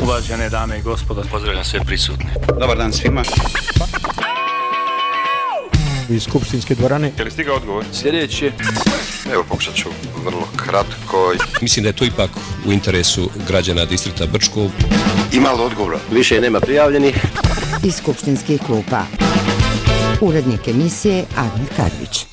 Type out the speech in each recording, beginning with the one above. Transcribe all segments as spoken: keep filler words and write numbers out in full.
Uvažene dame i gospodo, pozdravljam sve prisutne. Dobar dan svima. Iz skupštinske dvorane. Je li stigao odgovor? Sljedeći. Evo, pokušat ću vrlo kratko. Mislim da je to ipak u interesu građana distrikta Brčko. Ima li odgovora? Više nema prijavljenih. Iz skupštinskih klupa. Urednik emisije Admir Kadrić.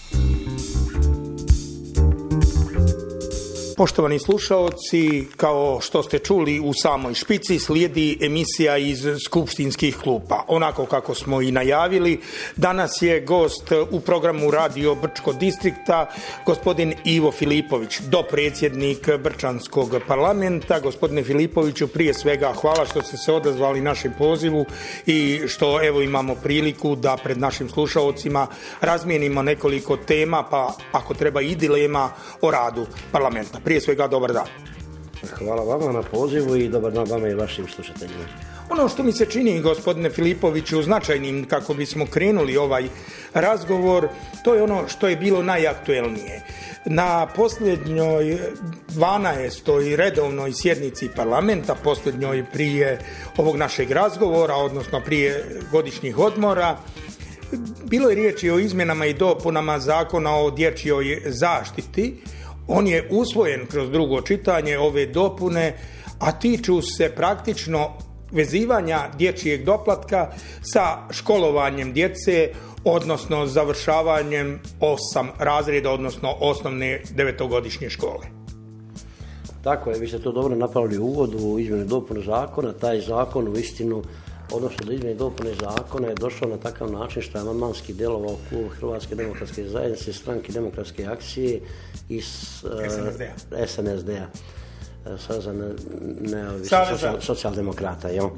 Poštovani slušaoci, kao što ste čuli u samoj špici, slijedi emisija iz skupštinskih klupa. Onako kako smo i najavili, danas je gost u programu Radio Brčko distrikta gospodin Ivo Filipović, dopredsjednik Brčanskog parlamenta. Gospodine Filipoviću, prije svega hvala što ste se odazvali našem pozivu i što evo imamo priliku da pred našim slušaocima razmijenimo nekoliko tema, pa ako treba i dilema o radu parlamenta. Prije svega, dobar dan. Hvala vama na pozivu i dobar dan vama i vašim slušateljima. Ono što mi se čini, gospodine Filipoviću, značajnim kako bismo krenuli ovaj razgovor, to je ono što je bilo najaktuelnije. Na posljednjoj dvanaestoj redovnoj sjednici parlamenta, posljednjoj prije ovog našeg razgovora, odnosno prije godišnjih odmora, bilo je riječi o izmjenama i dopunama Zakona o dječjoj zaštiti. On je usvojen kroz drugo čitanje, ove dopune, a tiču se praktično vezivanja dječjeg doplatka sa školovanjem djece, odnosno završavanjem osam razreda, odnosno osnovne devetogodišnje škole. Tako je, vi ste to dobro napravili u uvodu u izmjene i dopune zakona. Taj zakon u istinu, odnosno do izmjene i dopune zakona je došao na takav način što je amandmanski djelovao klub Hrvatske demokratske zajednice, Stranke demokratske akcije i S N S D-a. Saveza neovisnih socijaldemokrata. Yeah.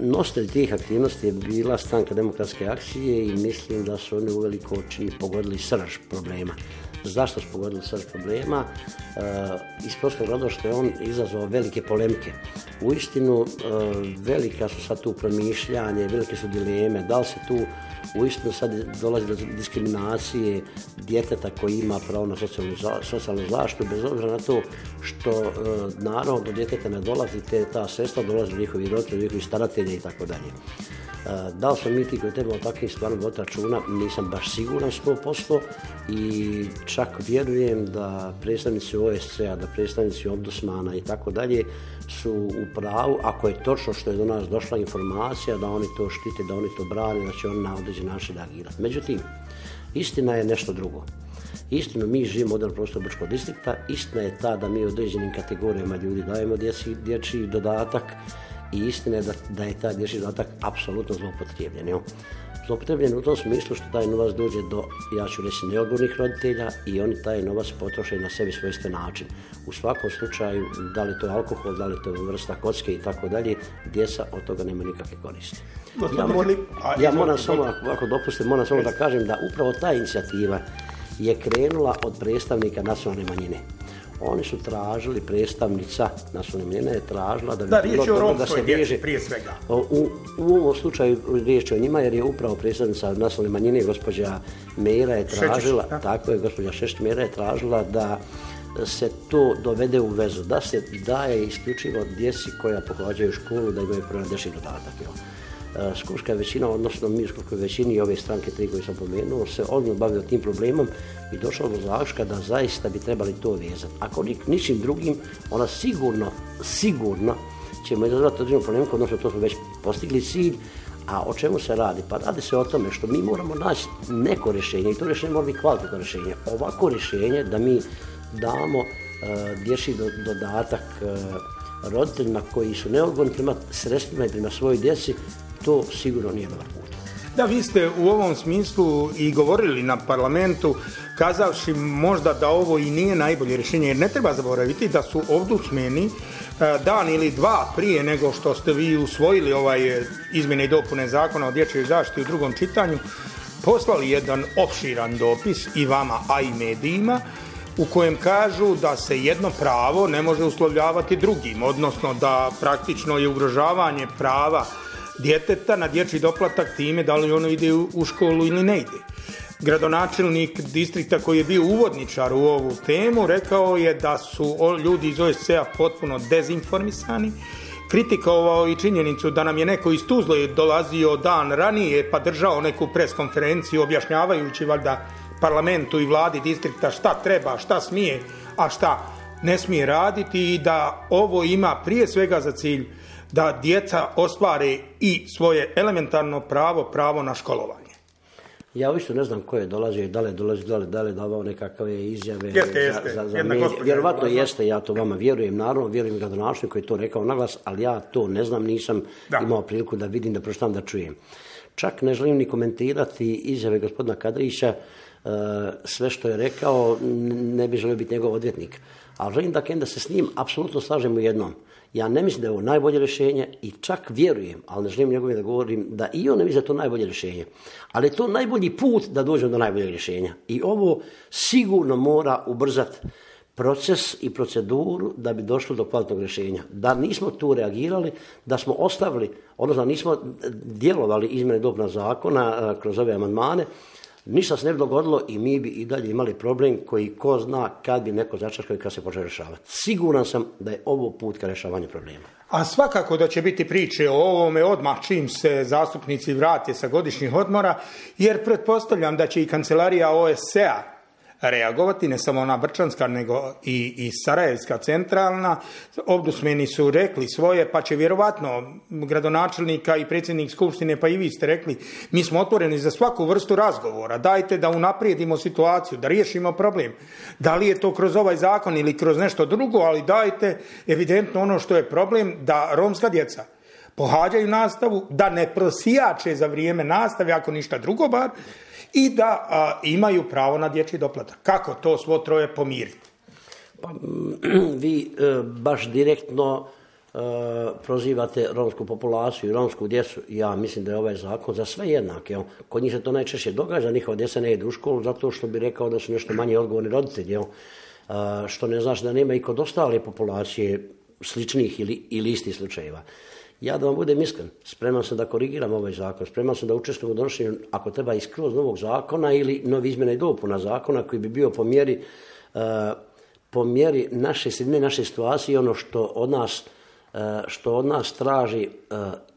Nositelj tih aktivnosti je bila Stranka demokratske akcije i mislim da su oni uveliko čini pogodili srž problema. Zašto su pogodili srž problema? E, iz prostog razloga što je on izazvao velike polemike. Uistinu, e, velika su sad tu promišljanje, velike su dileme, da li se tu uistinu sad dolazi do diskriminacije djeteta koji ima pravo na socijalnu, socijalnu zaštitu, bez obzira na to što e, naravno do djeteta ne dolazi te, ta sredstva, dolazi do njihovi roditelji, njihovi staratelji i tako dalje. Da li smo mi ti koji trebamo takvim stvarno voditi računa, nisam baš siguran sto posto i čak vjerujem da predstavnici O S C-a, da predstavnici Ombudsmana i tako dalje su u pravu, ako je točno što je do nas došla informacija, da oni to štite, da oni to brane, da će oni na određen način reagirati. Međutim, istina je nešto drugo. Istino, mi živimo u modernom prostoru Brčkog distrikta, istina je ta da mi određenim kategorijama ljudi dajemo dječji, dječji dodatak i istina je da, da je taj dječji dodatak apsolutno zloupotrebljen. Jo? Zloupotrebljen u tom smislu što taj novac dođe do, ja ću reći, neodgovornih roditelja i oni taj novac potroše na sebi svojstven način. U svakom slučaju, da li to je alkohol, da li to je vrsta kocke i tako dalje, djeca od toga nema nikakve koristi. Ja, mor, ja moram samo, ako dopustim, moram samo da kažem da upravo ta inicijativa je krenula od predstavnika nacionalne manjine. Oni su tražili, predstavnica nacionalne manjine je tražila da bi da, bilo dobro da se veže prije svega. U, u ovom slučaju riječ o njima jer je upravo predstavnica nacionalne manjine gospođa Mera je tražila, Šečić, tako je, gospođa Šešić Mera je tražila da se to dovede u vezu, da se daje isključivo djeci koja pohađaju školu da imaju pravo dječji dodatak. Jo. Skupštinska većina, odnosno mi u skupštinskoj većini i ove stranke tri koje sam pomenuo, se odmah bavio tim problemom i došao do zaključka da zaista bi trebali to vezati. Ako ničim drugim, ona sigurno, sigurno ćemo izazvati određenu problemku, odnosno to smo već postigli cilj. A o čemu se radi? Pa radi se o tome što mi moramo naći neko rješenje i to rješenje mora biti kvalitetno rješenje. Ovako rješenje da mi damo uh, dječji do, dodatak uh, roditeljima koji su neodgovorni prema sredstvima i prema svojoj djeci, to sigurno nije dobar put. Da, vi ste u ovom smislu i govorili na parlamentu, kazavši možda da ovo i nije najbolje rješenje, jer ne treba zaboraviti da su ombudsmeni dan ili dva prije nego što ste vi usvojili ovaj izmjene i dopune Zakona o dječjoj zaštiti u drugom čitanju, poslali jedan opširan dopis i vama, a i medijima, u kojem kažu da se jedno pravo ne može uslovljavati drugim, odnosno da praktično je ugrožavanje prava djeteta na dječji doplatak time da li ono ide u školu ili ne ide. Gradonačelnik distrikta koji je bio uvodničar u ovu temu rekao je da su ljudi iz O S C-a potpuno dezinformisani kritikovao i činjenicu da nam je neko iz Tuzle dolazio dan ranije pa držao neku pres konferenciju objašnjavajući valjda parlamentu i vladi distrikta šta treba, šta smije, a šta ne smije raditi i da ovo ima prije svega za cilj da djeca ostvare i svoje elementarno pravo, pravo na školovanje. Ja uopšte ne znam ko je dolazio i da li dolazi, da li, da li davao nekakve izjave jeste, jeste. za, za, za medije. Vjerovatno jeste, ja to vama vjerujem, naravno, vjerujem gradonačelniku koji je to rekao naglas, ali ja to ne znam, nisam da. imao priliku da vidim, da pročitam, da čujem. Čak ne želim ni komentirati izjave gospodina Kadrića, sve što je rekao, ne bi želio biti njegov odvjetnik. Ali želim da, da se s njim apsolutno slažem u jednom. Ja ne mislim da je ovo najbolje rješenje i čak vjerujem, ali ne želim njegove da govorim, da i on ne misli da je to najbolje rješenje. Ali je to najbolji put da dođemo do najboljeg rješenja. I ovo sigurno mora ubrzati proces i proceduru da bi došlo do kvalitetnog rješenja. Da nismo tu reagirali, da smo ostavili, odnosno nismo djelovali izmjene i dopuna zakona kroz ove amandmane, ništa se ne bi dogodilo i mi bi i dalje imali problem koji ko zna kad bi neko začaškao i kad se počeo rješavati. Siguran sam da je ovo put ka rješavanju problema. A svakako da će biti priče o ovome odmah čim se zastupnici vrate sa godišnjih odmora, jer pretpostavljam da će i kancelarija O S C A reagovati, ne samo ona brčanska, nego i, i sarajevska centralna. Ombudsmeni su rekli svoje, pa će vjerovatno gradonačelnika i predsjednik skupštine, pa i vi ste rekli, mi smo otvoreni za svaku vrstu razgovora, dajte da unaprijedimo situaciju, da riješimo problem. Da li je to kroz ovaj zakon ili kroz nešto drugo, ali dajte evidentno ono što je problem, da romska djeca pohađaju nastavu, da ne prosijače za vrijeme nastave, ako ništa drugo bar, i da a, imaju pravo na dječji doplatak. Kako to svo troje pomiriti? Pa, vi e, baš direktno e, prozivate romsku populaciju i romsku djecu. Ja mislim da je ovaj zakon za sve jednak. Jel? Kod njih se to najčešće događa, njihova djeca ne idu u školu zato što bi rekao da su nešto manje odgovorni roditelji. Jel? E, što ne znači da nema i kod ostale populacije sličnih ili, ili istih slučajeva. Ja da vam budem iskren, spreman sam da korigiram ovaj zakon, spreman sam da učestvujem u donošenju, ako treba i skroz novog zakona ili novi izmjena i dopuna zakona koji bi bio po mjeri, uh, po mjeri naše sredine, naše situacije, ono što od nas, uh, što od nas traži uh,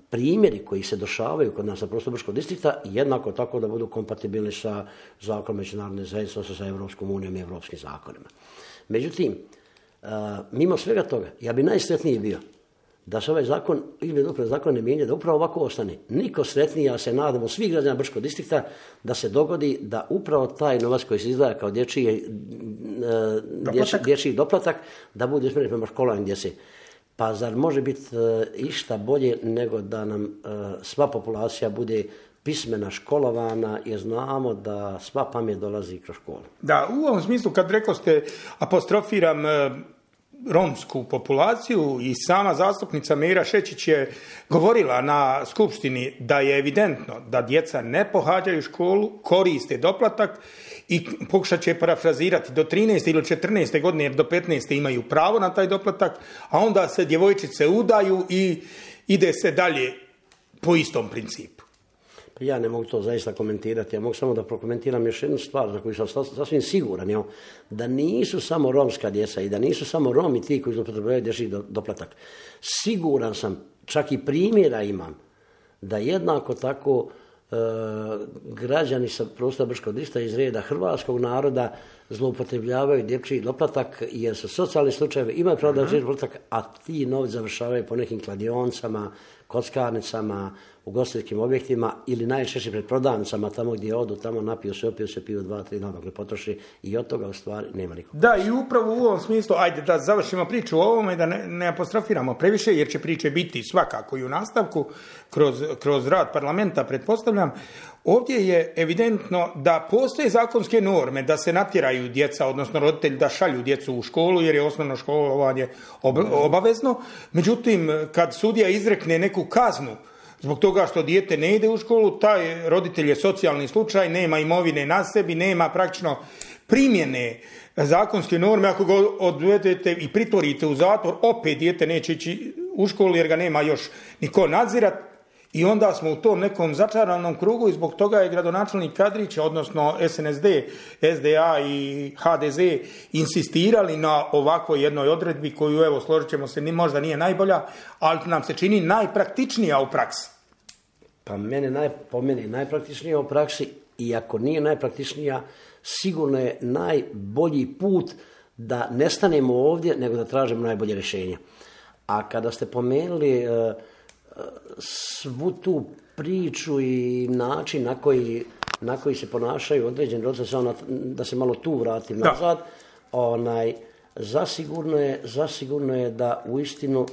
primjeri koji se dešavaju kod nas na prostoru Brčkog distrikta, jednako tako da budu kompatibilni sa zakonom međunarodne zajednice, odnosno sa Europskom unijom i europskim zakonima. Međutim, uh, mimo svega toga, ja bi najsretniji bio da se ovaj zakon, izmjene dopune zakona ne mijenja, da upravo ovako ostane. Niko sretniji, ja se nadamo, svih građana Brčkog distrikta, da se dogodi da upravo taj novac koji se izdvaja kao dječji doplatak, dječji doplatak da bude usmjeren prema školovanju djece. Pa zar može biti išta bolje nego da nam sva populacija bude pismena, školovana, jer znamo da sva pamet dolazi kroz školu. Da, u ovom smislu kad rekao ste, apostrofiram romsku populaciju i sama zastupnica Mira Šečić je govorila na skupštini da je evidentno da djeca ne pohađaju školu, koriste doplatak i pokušat će parafrazirati do trinaeste ili četrnaeste godine, jer do petnaeste imaju pravo na taj doplatak, a onda se djevojčice udaju i ide se dalje po istom principu. Ja ne mogu to zaista komentirati, ja mogu samo da prokomentiram još jednu stvar za koju sam sasvim siguran, jo, da nisu samo romska djeca i da nisu samo Romi ti koji zloupotrebljavaju dječji doplatak. Siguran sam, čak i primjera imam, da jednako tako e, građani sa prostora Brčkog distrikta iz reda hrvatskog naroda zloupotrebljavaju dječji doplatak jer su socijalni slučajevi, imaju pravo da dječji doplatak, a ti novci završavaju po nekim kladionicama, kockarnicama, ugostiteljskim objektima ili najčešće pred prodavnicama, tamo gdje odu, tamo napiju se, opiju se, piju dva, tri dana, potroši i od toga u stvari nema nikog. Da, i upravo u ovom smislu, ajde da završimo priču o ovome, da ne, ne apostrofiramo previše, jer će priče biti svakako i u nastavku, kroz, kroz rad parlamenta, pretpostavljam. Ovdje je evidentno da postoje zakonske norme da se natjeraju djeca, odnosno roditelji da šalju djecu u školu, jer je osnovno školovanje ob- obavezno. Međutim, kad sudija izrekne neku kaznu zbog toga što dijete ne ide u školu, taj roditelj je socijalni slučaj, nema imovine na sebi, nema praktično primjene zakonske norme. Ako ga odvedete i pritvorite u zatvor, opet dijete neće ići u školu jer ga nema još niko nadzirat. I onda smo u tom nekom začaranom krugu i zbog toga je gradonačelnik Kadrić, odnosno S N S D, S D A i H D Z insistirali na ovakvoj jednoj odredbi koju, evo, složit ćemo se, možda nije najbolja, ali nam se čini najpraktičnija u praksi. Pa mene naj, po meni najpraktičnija u praksi, i ako nije najpraktičnija, sigurno je najbolji put da ne stanemo ovdje, nego da tražimo najbolje rješenje. A kada ste pomenuli uh, svu tu priču i način na koji, na koji se ponašaju određeni roditelji, da se malo tu vratim da. nazad, onaj, zasigurno je, zasigurno je da uistinu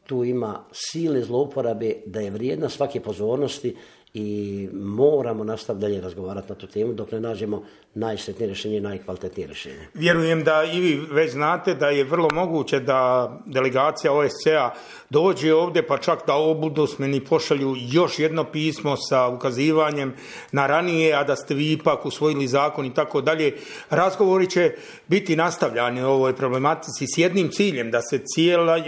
tu ima sile zlouporabe, da je vrijedna svake pozornosti i moramo nastaviti dalje razgovarati na tu temu dok ne nađemo najsretnije rješenje i najkvalitetnije rješenje. Vjerujem da i vi već znate da je vrlo moguće da delegacija O S C A dođe ovdje, pa čak da ombudsmani pošalju još jedno pismo sa ukazivanjem na ranije, a da ste vi ipak usvojili zakon i tako dalje. Razgovori će biti nastavljani o ovoj problematici s jednim ciljem, da se cijela,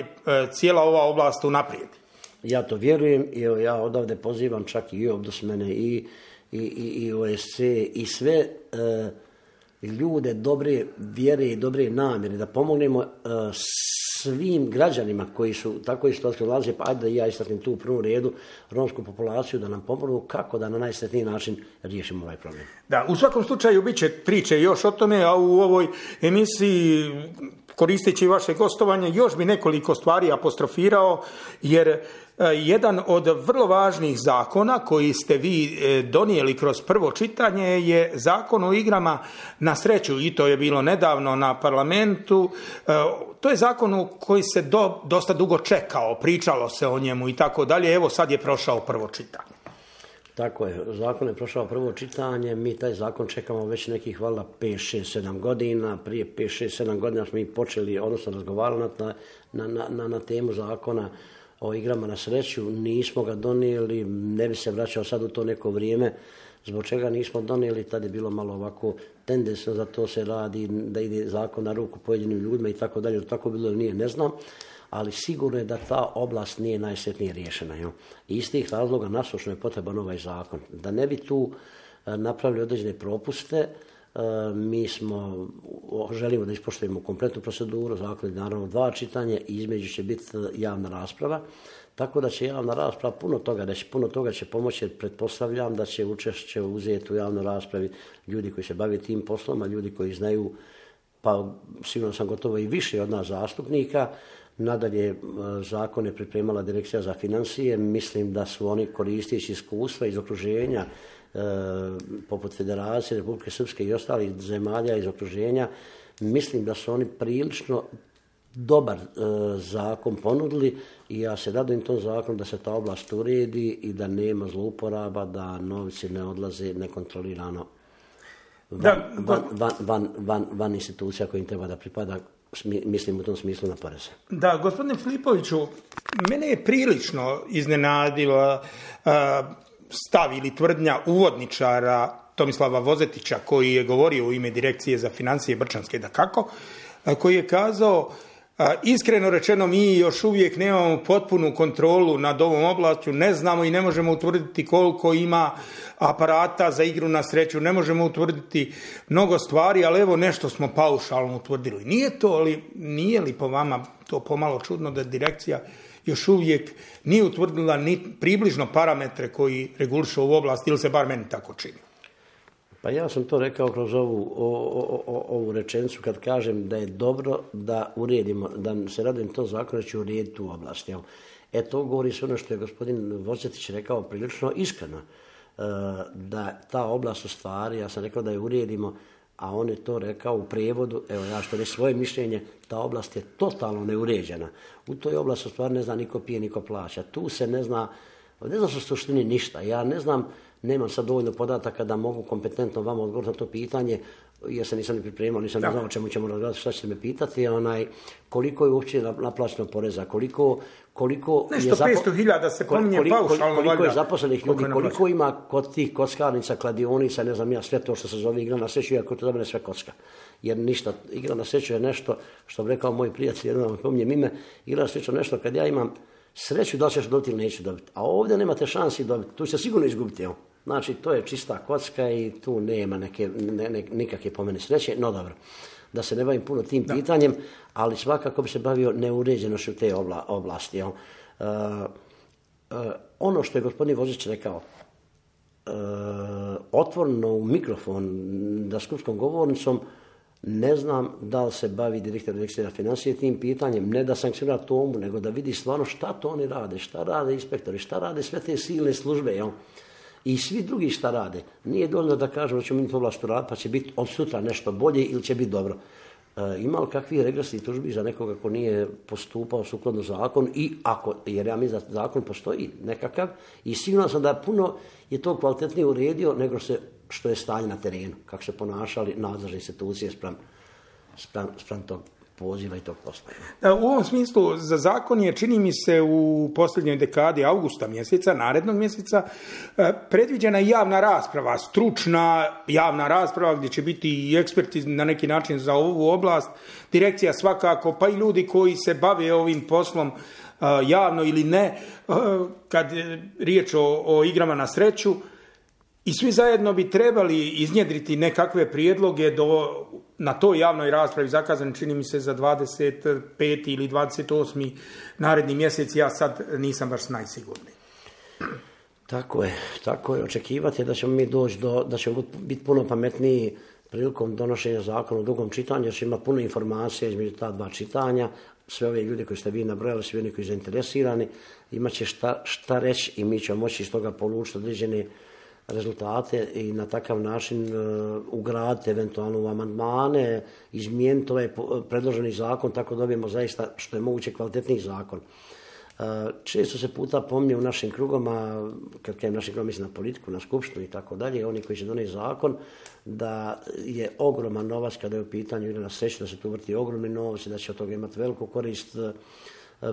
cijela ova oblast unaprijedi. Ja to vjerujem i ja odavde pozivam čak i ombudsmane i, i, i, i O S C i sve e, ljude dobre vjere i dobre namjere da pomognemo e, svim građanima koji su tako isto nalaze, pa ajde da ja istaknem tu u prvom redu romsku populaciju, da nam pomognu kako da na najsretniji način riješimo ovaj problem. Da, u svakom slučaju bit će priče još o tome, a u ovoj emisiji, koristeći vaše gostovanje, još bi nekoliko stvari apostrofirao, jer jedan od vrlo važnih zakona koji ste vi donijeli kroz prvo čitanje je Zakon o igrama na sreću, i to je bilo nedavno na parlamentu. To je zakon koji se do, dosta dugo čekao, pričalo se o njemu i tako dalje. Evo, sad je prošao prvo čitanje. Tako je, zakon je prošao prvo čitanje, mi taj zakon čekamo već nekih valjda pet, šest, sedam godina, prije pet, šest, sedam godina smo i počeli, odnosno razgovarali na, na, na, na temu zakona o igrama na sreću, nismo ga donijeli, ne bi se vraćao sad u to neko vrijeme, zbog čega nismo donijeli, tad je bilo malo ovako tendencijno da to se radi, da ide zakon na ruku pojedinim ljudima i tako dalje, tako bilo ili nije, ne znam. Ali sigurno je da ta oblast nije najsretnije riješena. Jo? I iz tih razloga nasušno je potreban ovaj zakon. Da ne bi tu napravili određene propuste, mi smo, želimo da ispoštujemo kompletnu proceduru, zakon je naravno dva čitanja i između će biti javna rasprava, tako da će javna rasprava puno toga reći, puno toga će pomoći, jer pretpostavljam da će učešće uzeti u javnoj raspravi ljudi koji se bave tim poslom, a ljudi koji znaju, pa sigurno sam gotovo i više od nas zastupnika. Nadalje, zakon je pripremala Direkcija za financije, mislim da su oni koristeći iskustva iz okruženja, e, poput Federacije, Republike Srpske i ostalih zemalja iz okruženja, mislim da su oni prilično dobar e, zakon ponudili i ja se radujem tom zakonu da se ta oblast uredi i da nema zlouporaba, da novci ne odlaze nekontrolirano van, da, van, van, van, van, van institucija kojim treba da pripada, mislim u tom smislu na poreze. Da, gospodine Filipoviću, mene je prilično iznenadila uh, stav ili tvrdnja uvodničara Tomislava Vozetića, koji je govorio u ime Direkcije za financije Brčanske, dakako, uh, koji je kazao, uh, iskreno rečeno, mi još uvijek nemamo potpunu kontrolu nad ovom oblašću, ne znamo i ne možemo utvrditi koliko ima aparata za igru na sreću, ne možemo utvrditi mnogo stvari, ali evo nešto smo paušalno utvrdili. Nije to, ali nije li po vama to pomalo čudno da direkcija još uvijek nije utvrdila ni približno parametre koji regulišu ovu oblast, ili se bar meni tako čini? Pa ja sam to rekao kroz ovu, o, o, o, ovu rečenicu kad kažem da je dobro da uredimo, da se radim to zakon da će urediti tu oblast. Jel? E to govori sve ono što je gospodin Vozetić rekao prilično iskreno. Da ta oblast u stvari, ja sam rekao da je uredimo, a on je to rekao u prijevodu, evo ja što reći svoje mišljenje, ta oblast je totalno neuređena. U toj oblasti u stvari ne zna niko pije, niko plaća. Tu se ne zna, ne zna su suštini ništa. Ja ne znam, nemam sad dovoljno podataka da mogu kompetentno vama odgovoriti na to pitanje, jer se nisam ni pripremao, nisam ne znao o čemu ćemo razgovarati, šta ćete me pitati, onaj, koliko je uopće naplaćeno poreza, koliko, koliko nešto je zapo... petsto hiljada se pominje koliko, paušalno, koliko valjda, je zaposlenih ljudi, koliko ima kod tih kockarnica, kladionica, ne znam ja, sve to što se zove igra na sreću, iako to za mene sve kocka. Jer ništa, igra na sreću je nešto, što bi rekao moj prijatelj, jednom pominjem ime, igra na sreću nešto kad ja imam Sreću da li ćeš dobiti ili nećeš dobiti. A ovdje nemate šansi dobiti. Tu će sigurno izgubiti. Evo. Znači, to je čista kocka i tu nema neke, ne, ne, nikakve po meni sreće. No dobro, da se ne bavim puno tim da. pitanjem, ali svakako bi se bavio neuređenošću te obla, oblasti. Evo. Uh, uh, ono što je gospodin Vozić rekao, uh, otvoreno u mikrofon da skupskom govornicom, ne znam da li se bavi direktor direkcija financije tim pitanjem, ne da sankcionira tomu, nego da vidi stvarno šta to oni rade, šta rade inspektori, šta rade sve te silne službe, jel? I svi drugi šta rade. Nije dovoljno da kažemo da ćemo mi to vlastu raditi pa će biti od sutra nešto bolje ili će biti dobro. E, ima li kakvih regresnih tužbi za nekoga ko nije postupao sukladno zakonu i ako, jer ja mislim da zakon postoji nekakav i sigurno sam da puno je to kvalitetnije uredio nego se što je stanje na terenu, kako se ponašali nadležne institucije spram, spram, spram tog poziva i tog posla. U ovom smislu za zakon je, čini mi se, u posljednjoj dekadi avgusta mjeseca, narednog mjeseca, predviđena i javna rasprava, stručna javna rasprava gdje će biti i eksperti na neki način za ovu oblast, direkcija svakako, pa i ljudi koji se bave ovim poslom javno ili ne, kad je riječ o, o igrama na sreću. I svi zajedno bi trebali iznjedriti nekakve prijedloge do, na toj javnoj raspravi, zakazani čini mi se za dvadeset peti ili dvadeset osmi naredni mjesec, ja sad nisam baš najsigurniji. Tako je, tako je. Očekivati da ćemo mi doći do, da ćemo biti puno pametniji prilikom donošenja zakona u drugom čitanju, jer će ima puno informacija između ta dva čitanja. Sve ove ljude koji ste vi nabrojali, svi oni koji su zainteresirani, imat će šta, šta reći i mi ćemo moći iz toga polučiti određene rezultate i na takav način uh, ugraditi eventualno u amandmane, izmijeniti ovaj predloženi zakon, tako dobijemo zaista što je moguće kvalitetniji zakon. Uh, često se puta pomnije u našim krugama, kad kajem našim krugom mislim na politiku, na skupštinu i tako dalje, oni koji će donijeti zakon, da je ogroman novac kada je u pitanju igra na sreću, da se tu vrti ogromni novac i da će od toga imati veliku korist uh,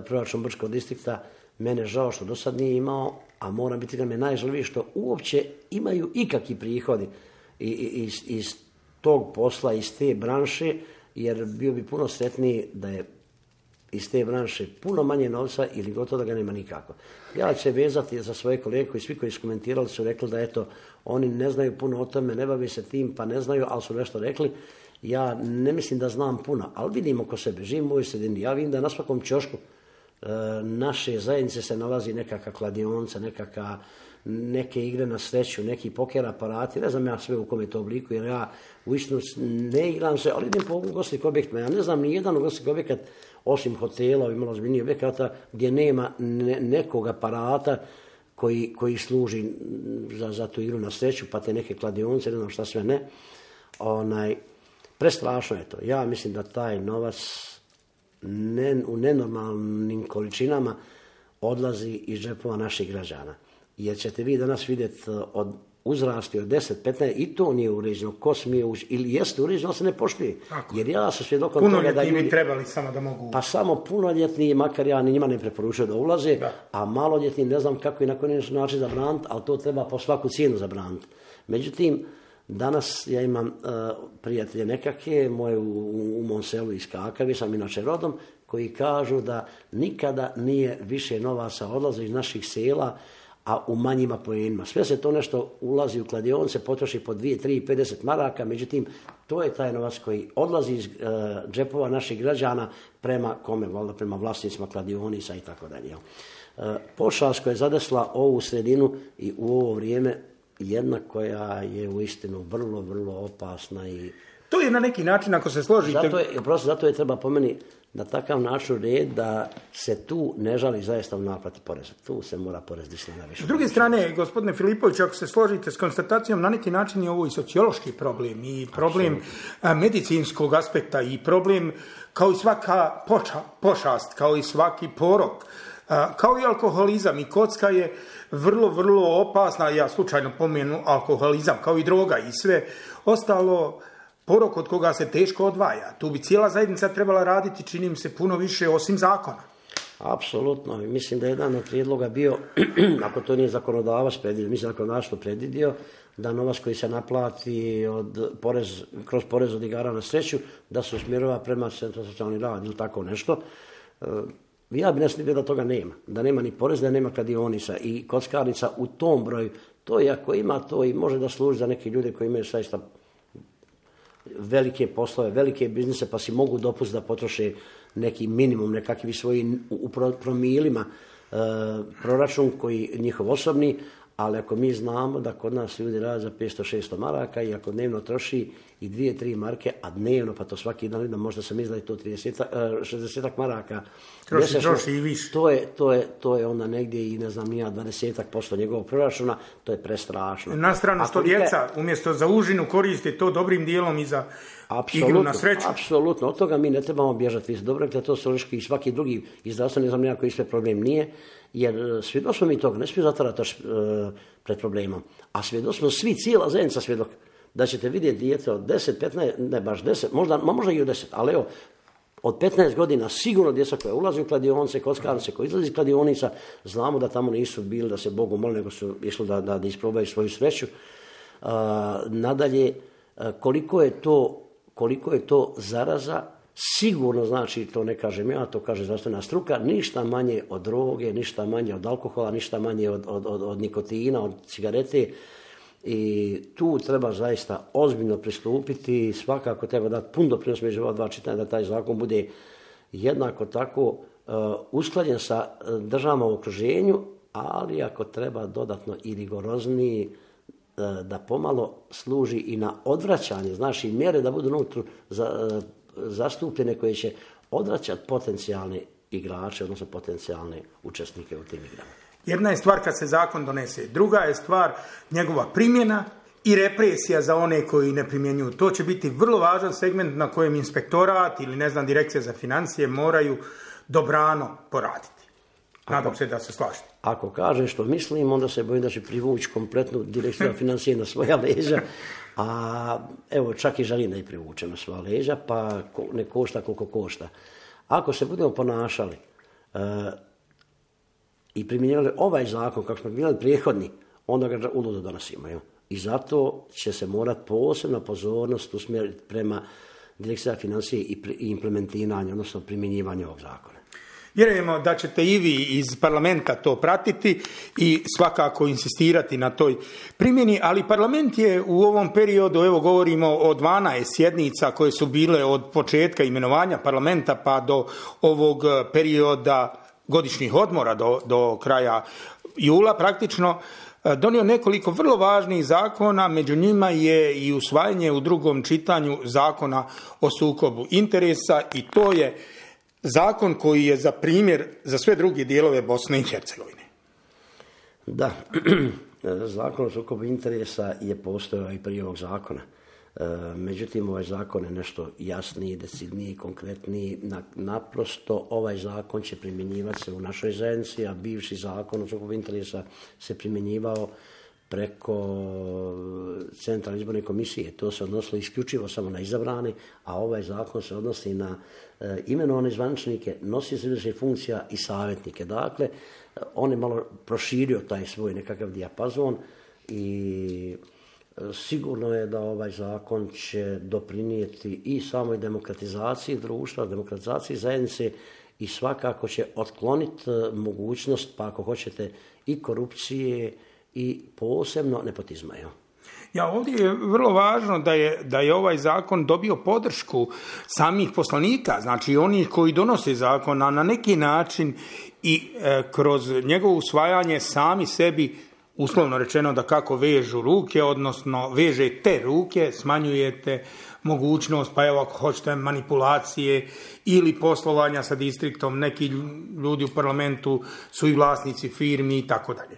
proračun Brčkog distrikta. Mene žao što do sad nije imao, a moram biti da me najžalivije što uopće imaju ikakvi prihodi iz, iz tog posla, iz te branše, jer bio bi puno sretniji da je iz te branše puno manje novca ili gotovo da ga nema nikako. Ja ću se vezati za svoje kolege koji svi koji su komentirali su rekli da eto, oni ne znaju puno o tome, ne bavi se tim, pa ne znaju, ali su nešto rekli. Ja ne mislim da znam puno, ali vidim oko sebe, živim u ovoj sredini, ja vidim da na svakom ćošku naše zajednice se nalazi nekakva kladionica, nekakva, neke igre na sreću, neki poker aparati, ne znam ja sve u kom je to obliku, jer ja uistinu ne igram se, ali idem po ugostnih objektima. Ja ne znam ni jedan ugostnih objekat, osim hotela i malo ozbiljnijih objekata, gdje nema ne, nekog aparata koji, koji služi za, za tu igru na sreću, pa te neke kladionice, ne znam šta sve ne. Onaj, prestrašno je to. Ja mislim da taj novac Ne, u nenormalnim količinama odlazi iz džepova naših građana. Jer ćete vi danas vidjeti od uzrasti od deset petnaest i to nije uređeno, ko smije ući, ili jeste uređeno, ali se ne poštuje. Tako. Jer ja sam svjedokom toga da ljudi... trebali samo da mogu... Pa samo punoljetni, makar ja njima ne preporučujem da ulaze, da. A maloljetni ne znam kako i na koji način zabraniti, ali to treba po svaku cijenu zabraniti. Međutim, danas ja imam uh, prijatelje nekakve, moje u, u mom selu iz Kakavi, sam inače rodom, koji kažu da nikada nije više novaca odlazi iz naših sela, a u manjima poenima. Sve se to nešto ulazi u kladionice, potroši po dvije, tri, pedeset maraka, međutim, to je taj novac koji odlazi iz uh, džepova naših građana prema kome, valjda prema vlasnicima kladionica i tako dalje. Uh, pošast koja je zadesla ovu sredinu i u ovo vrijeme, jedna koja je uistinu vrlo, vrlo opasna i... To je na neki način, ako se složite... Zato je, prosto, zato je treba po meni na takav način red da se tu ne žali zaista u naplati poreza. Tu se mora porez dići na više. S druge strane, gospodine Filipović, ako se složite s konstatacijom, na neki način je ovo i sociološki problem i problem Absolutno. medicinskog aspekta i problem kao i svaka poča, pošast, kao i svaki porok, kao i alkoholizam i kocka je vrlo, vrlo opasna, ja slučajno pomenu alkoholizam, kao i droga i sve ostalo, porok od koga se teško odvaja. Tu bi cijela zajednica trebala raditi, čini mi se, puno više osim zakona. Apsolutno. Mislim da je jedan od prijedloga bio, ako to nije zakonodavac predvidio, mislim da zakonodavac to predvidio, da novac koji se naplati od porez, kroz porez od igara na sreću, da se usmjerava prema centru za socijalni rad ili tako nešto. ja bi ne vidio da toga nema. Da nema ni poreza, da nema kladionica i kockarnica u tom broju. To je ako ima to i može da služi za neke ljude koji imaju saista velike poslove, velike biznise, pa si mogu dopustiti da potroše neki minimum, nekakvi svoji u promilima e, proračun koji njihov osobni, ali ako mi znamo da kod nas ljudi rade za petsto šesto maraka i ako dnevno troši i dvije, tri marke, a dnevno, pa to svaki dan da možda sam izdaje to trideset, šezdeset maraka. Troši, troši i više. To je, to, je, to je onda negdje i ne znam nija dvadeset posto njegovog proračuna, to je prestrašno. Na stranu što djeca umjesto za užinu koriste to dobrim dijelom i za igru na sreću. Apsolutno, od toga mi ne trebamo bježati. Dobro je to stolički i svaki drugi i zdravstveni, ne znam nija koji sve problem nije, jer svjedosmo mi toga, ne smije zatvarati oči pred problemom. A svjedosmo svi, cijela zajednica svjedok, da ćete vidjeti dijete od deset, petnaest, ne baš deset, možda, možda i od deset, ali evo, od petnaest godina sigurno djeca koja ulazi u kladionice, kockarnice, koji izlazi iz kladionica, znamo da tamo nisu bili da se Bogu moli, nego su išli da, da, da isprobaju svoju sreću. Uh, nadalje, uh, koliko je to koliko je to zaraza, sigurno znači, to ne kažem ja, to kaže zdravstvena struka, ništa manje od droge, ništa manje od alkohola, ništa manje od, od, od, od nikotina, od cigarete. I tu treba zaista ozbiljno pristupiti, svakako treba dati pun doprinos među ova dva čitanja da taj zakon bude jednako tako uh, usklađen sa državama u okruženju, ali ako treba dodatno i rigorozniji, uh, da pomalo služi i na odvraćanje, znači mjere da budu unutra za, uh, zastupljene koje će odvraćati potencijalne igrače, odnosno potencijalne učesnike u tim igrama. Jedna je stvar kad se zakon donese, druga je stvar njegova primjena i represija za one koji ne primjenjuju. To će biti vrlo važan segment na kojem inspektorat ili ne znam direkcija za financije moraju dobrano poraditi. Nadam se da se slažete. Ako kaže što mislim, onda se bojim da će privući kompletnu direkciju za financije na svoja leđa, a evo čak i želim da je privuče na svoja leđa, pa ne košta koliko košta. Ako se budemo ponašali uh, i primjenjivali ovaj zakon kako smo primjenjivali prethodni, onda ga uludo donosimo. Jo? I zato će se morati posebna pozornost usmjeriti prema direkciji za financije i, i implementiranje, odnosno primjenjivanje ovog zakona. Vjerujemo da ćete i vi iz parlamenta to pratiti i svakako insistirati na toj primjeni, ali parlament je u ovom periodu, evo govorimo o dvanaest sjednica koje su bile od početka imenovanja parlamenta pa do ovog perioda godišnjih odmora do, do kraja jula praktično, donio nekoliko vrlo važnih zakona, među njima je i usvajanje u drugom čitanju zakona o sukobu interesa i to je zakon koji je za primjer za sve druge dijelove Bosne i Hercegovine. Da, zakon o sukobu interesa je postojao i prije ovog zakona. Međutim, ovaj zakon je nešto jasniji, decidniji, konkretniji. Naprosto ovaj zakon će primjenjivati se u našoj zajednici, a bivši zakon o sukobu interesa se primjenjivao preko Centralne izborne komisije. To se odnosilo isključivo samo na izabrane, a ovaj zakon se odnosi na e, imenovane zvaničnike, nosioce izvršnih funkcija i savjetnike. Dakle, on je malo proširio taj svoj nekakav dijapazon i sigurno je da ovaj zakon će doprinijeti i samoj demokratizaciji društva, demokratizaciji zajednice i svakako će otkloniti mogućnost, pa ako hoćete, i korupcije i posebno nepotizma. Jo. Ja, ovdje je vrlo važno da je, da je ovaj zakon dobio podršku samih poslanika, znači onih koji donose zakon, a na neki način i e, kroz njegovo usvajanje sami sebi, uslovno rečeno da kako vežu ruke, odnosno vežete ruke, smanjujete mogućnost, pa evo ako hoćete manipulacije ili poslovanja sa distriktom, neki ljudi u parlamentu su i vlasnici firmi i tako dalje.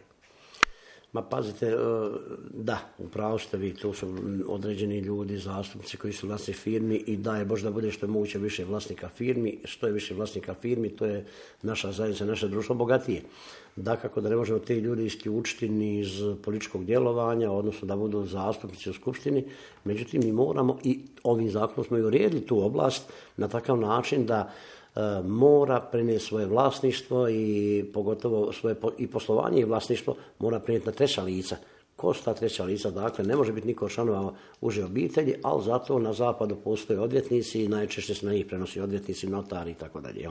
Ma pazite, da, upravo ste vi, to su određeni ljudi, zastupnici koji su vlasnici firmi i da je Bože da bude što je moguće više vlasnika firmi, što je više vlasnika firmi, to je naša zajednica, naše društvo bogatije. Dakako da ne možemo te ljudi isključiti ni iz političkog djelovanja, odnosno da budu zastupnici u skupštini, međutim mi moramo i ovim zakonom smo i uredili tu oblast na takav način da mora prenijeti svoje vlasništvo i pogotovo svoje i poslovanje i vlasništvo mora prenijeti na treća lica ko su ta treća lica. Dakle, ne može biti niko članova uže obitelji, ali zato na zapadu postoje odvjetnici i najčešće se na njih prenosi odvjetnici, notari i tako dalje.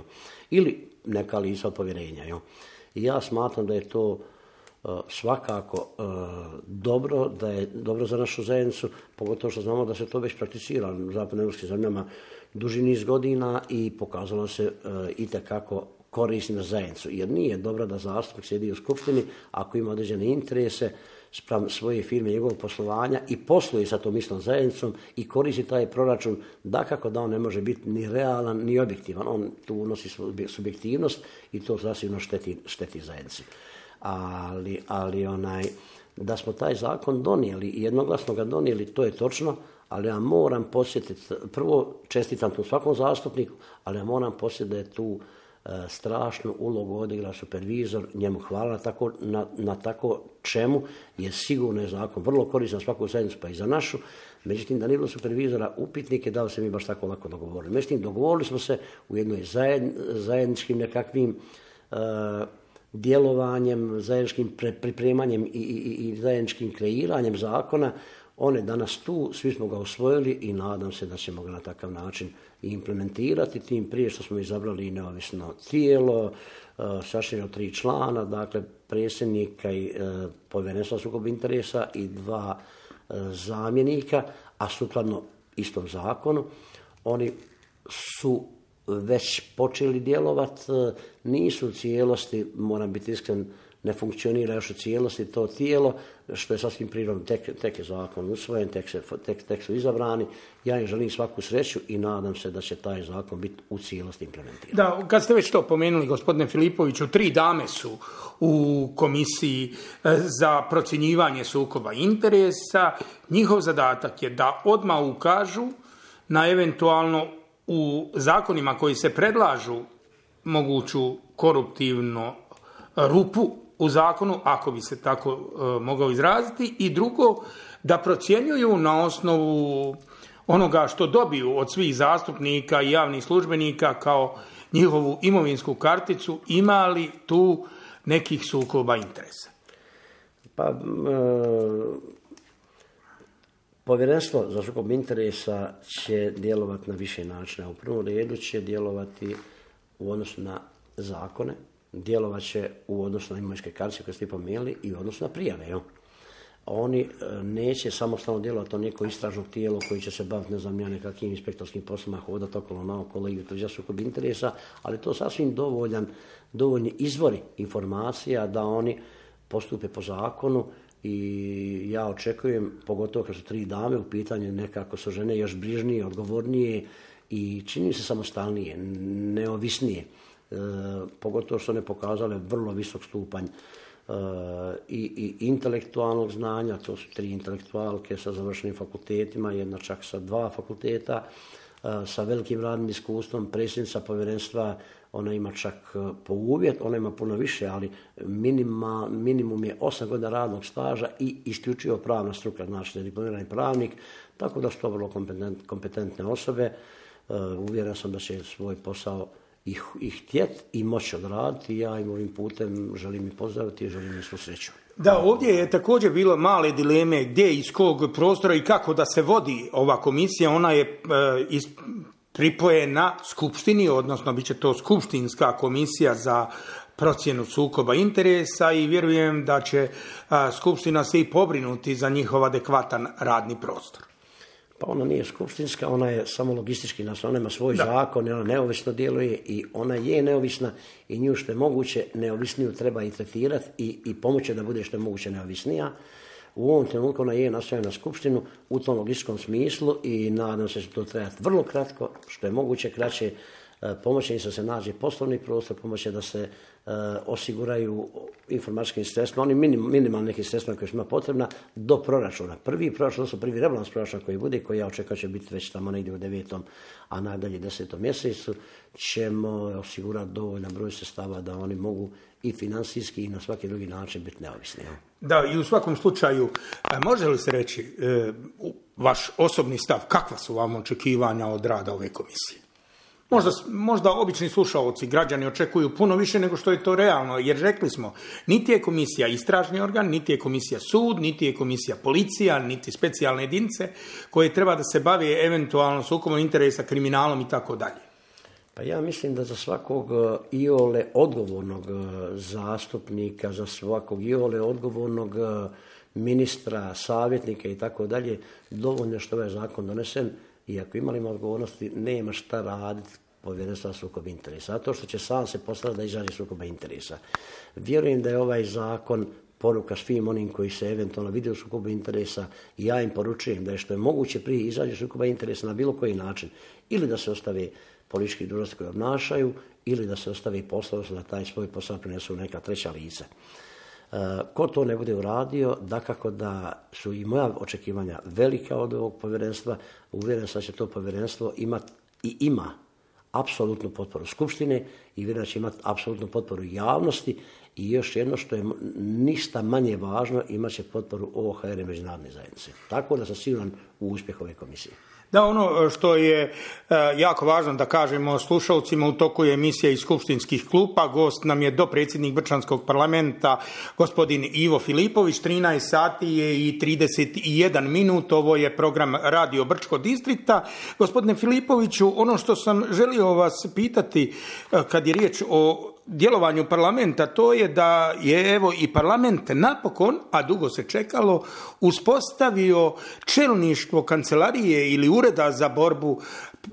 Ili neka lica od povjerenja. Jel? I ja smatram da je to uh, svakako uh, dobro, da je dobro za našu zajednicu, pogotovo što znamo da se to već prakticira u zapadnoeuropskim zemljama duži niz godina i pokazalo se uh, itekako korisni na zajednicu. Jer nije dobro da zastupnik sjedi u skupštini ako ima određene interese spram svoje firme, njegovog poslovanja i posluje sa tom istom zajednicom i koristi taj proračun, dakako da on ne može biti ni realan ni objektivan. On tu unosi subjektivnost i to zasigurno šteti, šteti zajednici. Ali, ali onaj, da smo taj zakon donijeli i jednoglasno ga donijeli, to je točno, ali ja moram podsjetiti, prvo čestitam tu svakom zastupniku, ali ja moram podsjetiti da je tu strašnu ulogu odigra supervizor, njemu hvala na tako, na, na tako čemu je sigurno je zakon vrlo koristan svaku zajednicu pa i za našu. Međutim, da nije bilo supervizora, upitnik je da li se mi baš tako lako dogovorili. Međutim, dogovorili smo se u jednoj zajedn, zajedničkim nekakvim uh, djelovanjem, zajedničkim pre, pripremanjem i, i, i zajedničkim kreiranjem zakona. On je danas tu, svi smo ga usvojili i nadam se da ćemo ga na takav način implementirati, tim prije što smo izabrali neovisno tijelo, sačinjeno tri člana, dakle predsjednika i e, povjerenstva sukoba interesa i dva e, zamjenika, a sukladno istom zakonu. Oni su već počeli djelovati, nisu u cijelosti, moram biti iskren, ne funkcionira još u cijelosti to tijelo, što je sasvim prirodno, tek, tek je zakon usvojen, tek, se, tek, tek su izabrani. Ja im želim svaku sreću i nadam se da će taj zakon biti u cijelosti implementiran. Da, kad ste već to pomenuli, gospodine Filipoviću, tri dame su u komisiji za procjenjivanje sukoba interesa. Njihov zadatak je da odmah ukažu na eventualno u zakonima koji se predlažu moguću koruptivnu rupu u zakonu, ako bi se tako e, mogao izraziti, i drugo, da procjenjuju na osnovu onoga što dobiju od svih zastupnika i javnih službenika kao njihovu imovinsku karticu, ima li tu nekih sukoba interesa? Pa, e, povjerenstvo za sukob interesa će djelovati na više načina. U prvom redu će djelovati u odnosu na zakone, djelovat će u odnosu na imovinske kartice koje ste pomenuli i u odnosu na prijave. Jo? Oni neće samostalno djelovati, to neko istražno tijelo koji će se baviti, ne znam ja, nekakvim inspektorskim poslima, hodati okolo naokolo i utvrđivati sukob interesa, ali to sasvim dovoljan, dovoljni izvori informacija da oni postupe po zakonu i ja očekujem, pogotovo kad su tri dame u pitanju, nekako su žene još brižnije, odgovornije i čini se samostalnije, neovisnije. E, pogotovo što ne pokazale vrlo visok stupanj e, i, i intelektualnog znanja, to su tri intelektualke sa završenim fakultetima, jedna čak sa dva fakulteta, e, sa velikim radnim iskustvom, predsjednica povjerenstva, ona ima čak po uvjet, ona ima puno više, ali minima, minimum je osam godina radnog staža i isključivo pravna struka, znači da je diplomirani pravnik, tako da su to vrlo kompetent, kompetentne osobe. E, uvjeren sam da će svoj posao i, i htjet i moći odraditi. Ja im ovim putem želim i pozdraviti i želim im svu sreću. Da, ovdje je također bilo male dileme gdje, iz kog prostora i kako da se vodi ova komisija. Ona je e, iz, pripojena skupštini, odnosno bit će to skupštinska komisija za procjenu sukoba interesa i vjerujem da će a, skupština se i pobrinuti za njihov adekvatan radni prostor. Pa ona nije skupštinska, ona je samo logistički nas, ona ima svoj da. zakon, ona neovisno djeluje i ona je neovisna i nju što je moguće neovisniju treba i tretirati i, i pomoći da bude što je moguće neovisnija. U ovom trenutku ona je nastavljena na skupštinu u tom logističkom smislu i nadam se da će to trajati vrlo kratko, što je moguće kraće. Pomoći im se da se nađe poslovni prostor, pomoći da se e, osiguraju informatičkim sredstvima, oni minim, minimalni neki sredstva koje su ima potrebna do proračuna. Prvi proračun, to su prvi rebalans proračuna koji bude, koji ja očekujem će biti već tamo negdje u devetom, a najdalje desetom mjesecu, ćemo osigurati dovoljan broj sredstava da oni mogu i financijski i na svaki drugi način biti neovisni. Da, i u svakom slučaju, može li se reći e, vaš osobni stav, kakva su vam očekivanja od rada ove komisije? Možda, možda obični slušaoci, građani očekuju puno više nego što je to realno, jer rekli smo, niti je komisija istražni organ, niti je komisija sud, niti je komisija policija, niti specijalne jedinice koje treba da se bave eventualno sukobom interesa, kriminalom i tako dalje. Pa ja mislim da za svakog iole odgovornog zastupnika, za svakog iole odgovornog ministra, savjetnika i tako dalje, dovoljno što ovaj zakon donesen, i ako imali odgovornosti, nema šta raditi povjerenstva sukoba interesa. A to što će sam se postaviti da izađe sukoba interesa. Vjerujem da je ovaj zakon poruka svim onim koji se eventualno vide u sukobu interesa i ja im poručujem da je što je moguće prije izađe sukoba interesa na bilo koji način. Ili da se ostave politički dužnosti koje obnašaju, ili da se ostavi posao da taj svoj posao prinesu neka treća lica. E, ko to ne bude uradio, dakako da su i moja očekivanja velika od ovog povjerenstva, uvjeren sam da će to povjerenstvo imati i ima apsolutnu potporu Skupštine i vjerujem da će imati apsolutnu potporu javnosti i još jedno što je ništa manje važno, imat će potporu O H R i međunarodne zajednice. Tako da sam siguran u uspjeh ove komisije. Da, ono što je jako važno da kažemo slušalcima, u toku je emisija iz skupštinskih klupa. Gost nam je dopredsjednik Brčanskog parlamenta, gospodin Ivo Filipović. trinaest sati je i trideset jedan minut. Ovo je program Radio Brčko distrikta. Gospodine Filipoviću, ono što sam želio vas pitati kad je riječ o djelovanju parlamenta, to je da je evo i parlament napokon, a dugo se čekalo, uspostavio čelništvo kancelarije ili ureda za borbu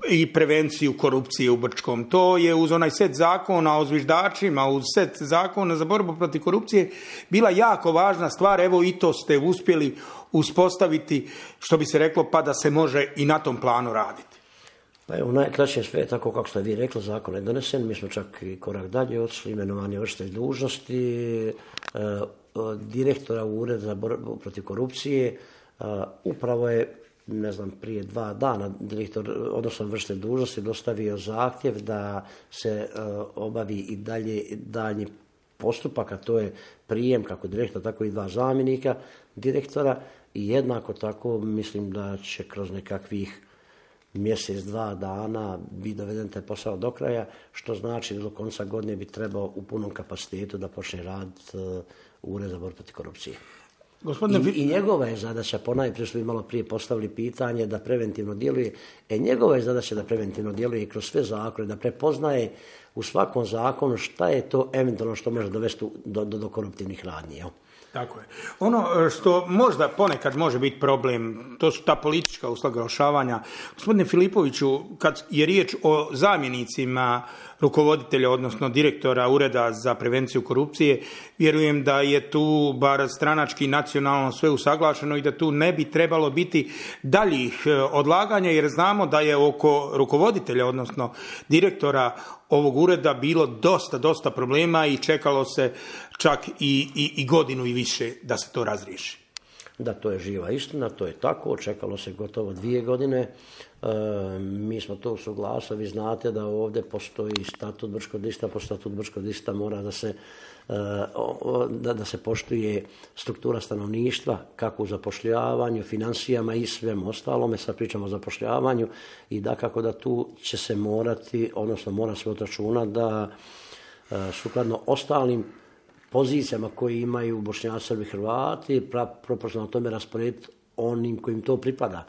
i prevenciju korupcije u Brčkom. To je uz onaj set zakona o zviždačima, uz set zakona za borbu protiv korupcije bila jako važna stvar. Evo i to ste uspjeli uspostaviti, što bi se reklo, pa da se može i na tom planu raditi. Pa evo, najkraće sve tako kako ste vi rekli, zakon je donesen, mi smo čak i korak dalje otišli, imenovanje vršitelj dužnosti, e, direktora Ureda za borbu protiv korupcije, e, upravo je, ne znam, prije dva dana direktor, odnosno vršitelj dužnosti, dostavio zahtjev da se e, obavi i dalje daljnji postupak, a to je prijem kako direktora, tako i dva zamjenika direktora i jednako tako mislim da će kroz nekakvih mjesec, dva dana bi doveden taj posao do kraja, što znači da do konca godine bi trebao u punom kapacitetu da počne raditi uh, Ured za borbu protiv korupcije. Gospodine... I, I njegova je zadaća, ponajprije što bi malo prije postavili pitanje, da preventivno djeluje, e njegova je zadaća da preventivno djeluje kroz sve zakone, da prepoznaje u svakom zakonu šta je to eventualno što može dovesti do, do, do koruptivnih radnji. Jel? Tako je. Ono što možda ponekad može biti problem, to su ta politička usaglašavanja. Gospodine Filipoviću, kad je riječ o zamjenicima rukovoditelja, odnosno direktora Ureda za prevenciju korupcije, vjerujem da je tu bar stranački nacionalno sve usaglašeno i da tu ne bi trebalo biti daljih odlaganja, jer znamo da je oko rukovoditelja, odnosno direktora ovog ureda bilo dosta, dosta problema i čekalo se čak i, i, i godinu i više da se to razriješi. Da, to je živa istina, to je tako, čekalo se gotovo dvije godine, e, mi smo to usuglasili, vi znate da ovdje postoji statut Brčkog distrikta, po statut Brčkog distrikta mora da se, e, da, da se poštuje struktura stanovništva, kako u zapošljavanju, financijama i svem ostalome, sad pričamo o zapošljavanju i da kako da tu će se morati, odnosno mora se odračunati da e, sukladno ostalim pozicijama koje imaju Bošnjaci, Srbi, Hrvati, proporcionalno tome rasporediti onim kojim to pripada.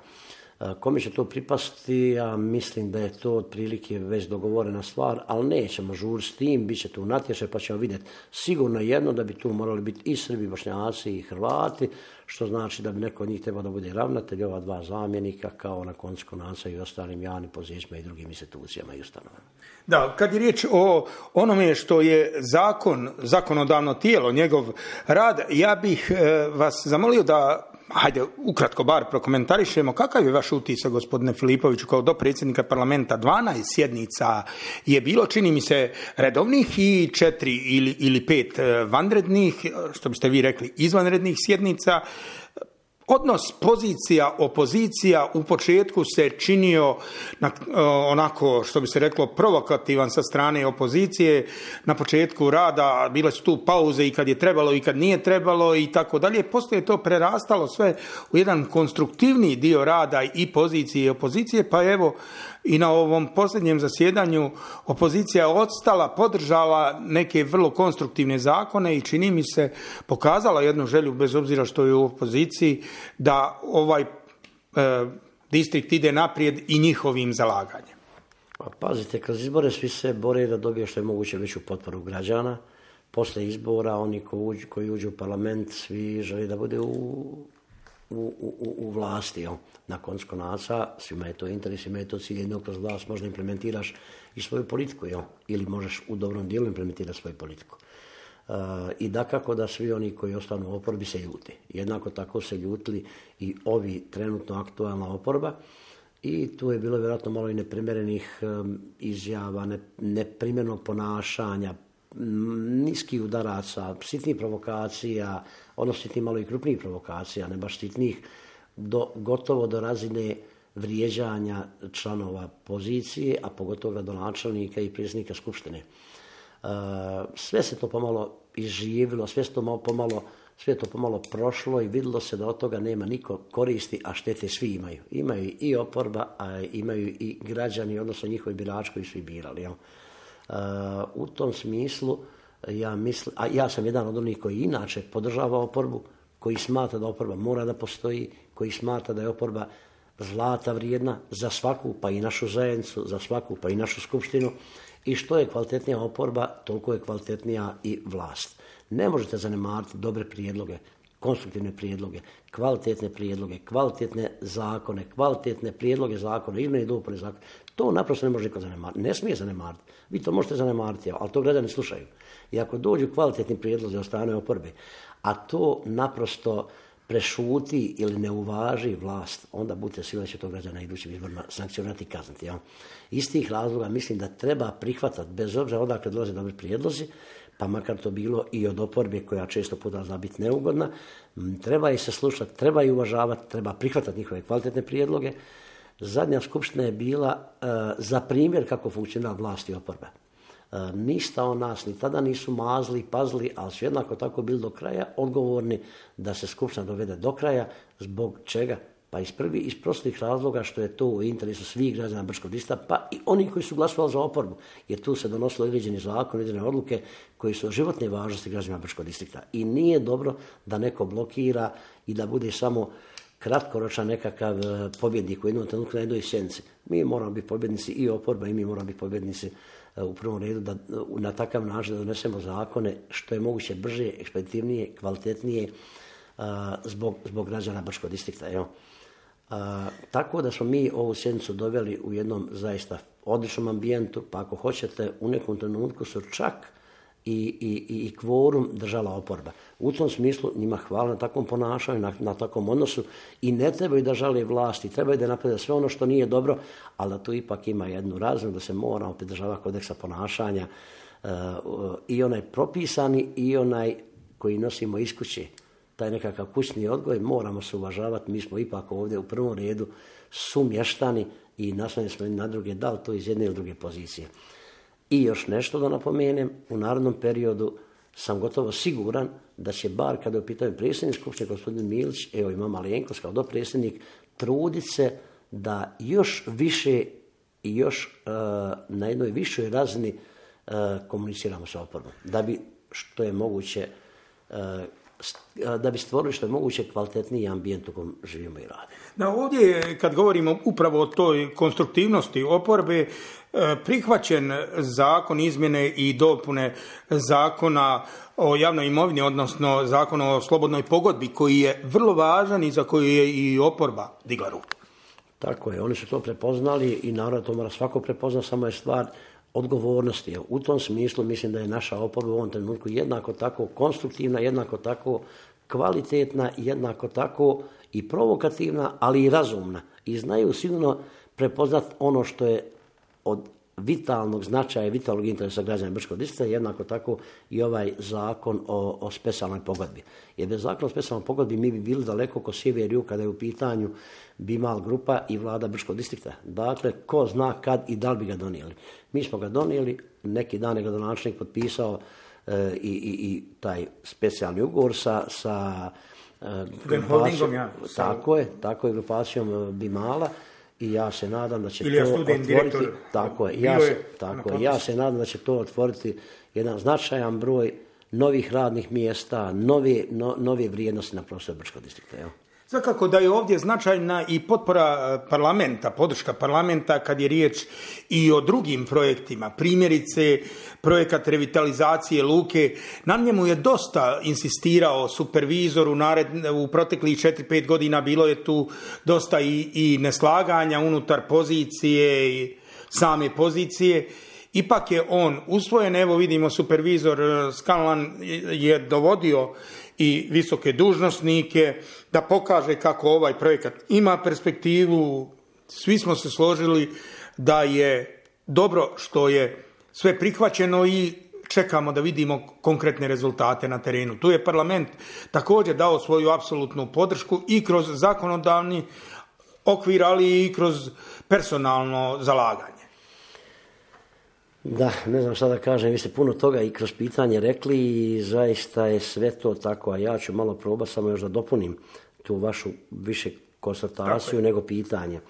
Kome će to pripasti, ja mislim da je to otprilike već dogovorena stvar, ali nećemo žuriti s tim, bit će tu natječaj pa ćemo vidjeti. Sigurno jedno da bi tu morali biti i Srbi, Bošnjaci i Hrvati, što znači da bi neko od njih trebao da bude ravnatelj, ova dva zamjenika, kao na koncu konaca i ostalim javnim pozicijama i drugim institucijama i ustanovama. Da, kad je riječ o onome što je zakon, zakonodavno tijelo, njegov rad, ja bih e, vas zamolio da, hajde, ukratko bar prokomentarišemo, kakav je vaš utisak, gospodine Filipoviću, kao dopredsjednika parlamenta? dvanaest sjednica je bilo, čini mi se, redovnih i četiri ili, ili pet vanrednih, što biste vi rekli, izvanrednih sjednica. odnos pozicija, opozicija u početku se činio na, onako, što bi se reklo, provokativan sa strane opozicije. Na početku rada bile su tu pauze i kad je trebalo i kad nije trebalo i tako dalje. Poslije je to prerastalo sve u jedan konstruktivni dio rada i pozicije i opozicije, pa evo i na ovom posljednjem zasjedanju opozicija je odstala, podržala neke vrlo konstruktivne zakone i čini mi se pokazala jednu želju, bez obzira što je u opoziciji, da ovaj e, distrikt ide naprijed i njihovim zalaganjem. Pa pazite, kroz izbore svi se bore da dobije što je moguće veću potporu građana. Posle izbora oni koji uđu, koji uđu u parlament, svi žele da bude u, u, u, u vlasti. Jel? Na koncu konaca, svima je to interes, svima je to cilj, jednog kroz vlast možda implementiraš i svoju politiku, jel? Ili možeš u dobrom dijelu implementirati svoju politiku. Uh, I dakako da svi oni koji ostanu u oporbi se ljuti. Jednako tako se ljutili i ovi trenutno aktualna oporba i tu je bilo vjerojatno malo i neprimjerenih um, izjava, ne, neprimjernog ponašanja, niskih udaraca, sitnih provokacija, odnosno sitnih malo i krupnijih provokacija, ne baš sitnih, do, gotovo do razine vrijeđanja članova pozicije, a pogotovo gradonačelnika i predsjednika skupštine. Uh, sve se to pomalo izživilo, sve se to malo pomalo, sve to pomalo prošlo i vidjelo se da od toga nema niko koristi, a štete svi imaju. Imaju i oporba, a imaju i građani, odnosno njihovi birači koji su i birali. Jel? Uh, u tom smislu, ja mislim, a ja sam jedan od onih koji inače podržava oporbu, koji smatra da oporba mora da postoji, koji smatra da je oporba zlata vrijedna za svaku, pa i našu zajednicu, za svaku, pa i našu skupštinu. I što je kvalitetnija oporba, toliko je kvalitetnija i vlast. Ne možete zanemariti dobre prijedloge, konstruktivne prijedloge, kvalitetne prijedloge, kvalitetne zakone, kvalitetne prijedloge zakona, izmjene i dopune zakona. To naprosto ne može niko zanemariti. Ne smije zanemariti. Vi to možete zanemariti, ali to građani slušaju. I ako dođu kvalitetni prijedlozi od strane oporbe, a to naprosto prešuti ili ne uvaži vlast, onda budete sigurni da će to građana na idućim izborima sankcionirati i kazniti. Ja. Iz tih razloga mislim da treba prihvatati, bez obzira odakle dolaze dobri prijedlozi, pa makar to bilo i od oporbe koja često puta zna biti neugodna, treba i se slušati, treba i uvažavati, treba prihvatati njihove kvalitetne prijedloge. Zadnja skupština je bila uh, za primjer kako funkcionira vlast i oporba. Uh, ništa o nas, ni tada nisu mazli, pazli, ali su jednako tako bili do kraja odgovorni da se skupština dovede do kraja. Zbog čega? Pa iz prvi, iz prostih razloga što je to u interesu svih građana Brčkog distrikta, pa i oni koji su glasovali za oporbu, jer tu se donosilo određeni zakon, određene odluke koji su od životne važnosti građana Brčkog distrikta. I nije dobro da neko blokira i da bude samo kratkoročan nekakav pobjednik u jednom trenutku na jednoj sjednici. Mi moramo biti pobjednici i oporba i mi moramo biti pobjednici u prvom redu da na takav način da donesemo zakone što je moguće brže, ekspeditivnije, kvalitetnije zbog, zbog građana Brčkog distrikta. Evo. A, tako da smo mi ovu sjednicu doveli u jednom zaista odličnom ambijentu, pa ako hoćete u nekom trenutku su čak i, i, i kvorum držala oporba. U tom smislu njima hvala na takvom ponašanju, na, na takvom odnosu i ne trebaju da žale vlasti, trebaju da naprede sve ono što nije dobro, ali da tu ipak ima jednu razinu da se moramo pridržavati kodeksa ponašanja uh, uh, i onaj propisani i onaj koji nosimo iz kuće. Taj nekakav kućni odgoj, moramo se uvažavati, mi smo ipak ovdje u prvom redu sumještani i naslovljeni smo na druge, da li to iz jedne ili druge pozicije. I još nešto da napomenem, u narednom periodu sam gotovo siguran da će bar kada je u pitanju predsjednik skupštine gospodin Milić, evo ima Malenkost kao dopredsjednik, truditi se da još više i još uh, na jednoj višoj razini uh, komuniciramo sa oporbom. Da bi što je moguće uh, da bi stvorili što je moguće kvalitetniji ambijent u kojem živimo i radimo. Da, ovdje kad govorimo upravo o toj konstruktivnosti oporbe, prihvaćen zakon izmjene i dopune zakona o javnoj imovini, odnosno zakon o slobodnoj pogodbi, koji je vrlo važan i za koji je i oporba digla ruku. Tako je, oni su to prepoznali i naravno to mora svako prepoznati, samo je stvar odgovornosti. U tom smislu mislim da je naša oporba u ovom trenutku jednako tako konstruktivna, jednako tako kvalitetna, jednako tako i provokativna, ali i razumna. I znaju sigurno prepoznat ono što je od vitalnog značaja i vitalnog interesa građana Brčkog distrikta, jednako tako i ovaj zakon o, o specijalnoj pogodbi. Jer bez zakona o specijalnoj pogodbi mi bi bili daleko ko sjever jug kada je u pitanju Bimal grupa i vlada Brčkog distrikta. Dakle, ko zna kad i da li bi ga donijeli. Mi smo ga donijeli, neki dan je gradonačelnik potpisao e, i, i, i taj specijalni ugovor sa, sa e, grupacijom, ja, tako je, tako je grupacijom Bimala. I ja se nadam da će Ili to otvoriti, direktor, tako je, ja se, tako je, ja se nadam da će to otvoriti jedan značajan broj novih radnih mjesta, nove, no, nove vrijednosti na prostoru Brčkog distrikta. Evo. Svakako da je ovdje značajna i potpora parlamenta, podrška parlamenta kad je riječ i o drugim projektima. Primjerice, projekat revitalizacije luke. Na njemu je dosta insistirao supervizor u, nared, u proteklih četiri pet godina. Bilo je tu dosta i, i neslaganja unutar pozicije i same pozicije. Ipak je on usvojen, evo vidimo supervizor Scanlan je dovodio i visoke dužnosnike da pokaže kako ovaj projekat ima perspektivu. Svi smo se složili da je dobro što je sve prihvaćeno i čekamo da vidimo konkretne rezultate na terenu. Tu je parlament također dao svoju apsolutnu podršku i kroz zakonodavni okvir, ali i kroz personalno zalaganje. Da, ne znam šta da kažem, vi ste puno toga i kroz pitanje rekli i zaista je sve to tako, a ja ću malo probati samo još da dopunim tu vašu više konstataciju nego pitanje. E,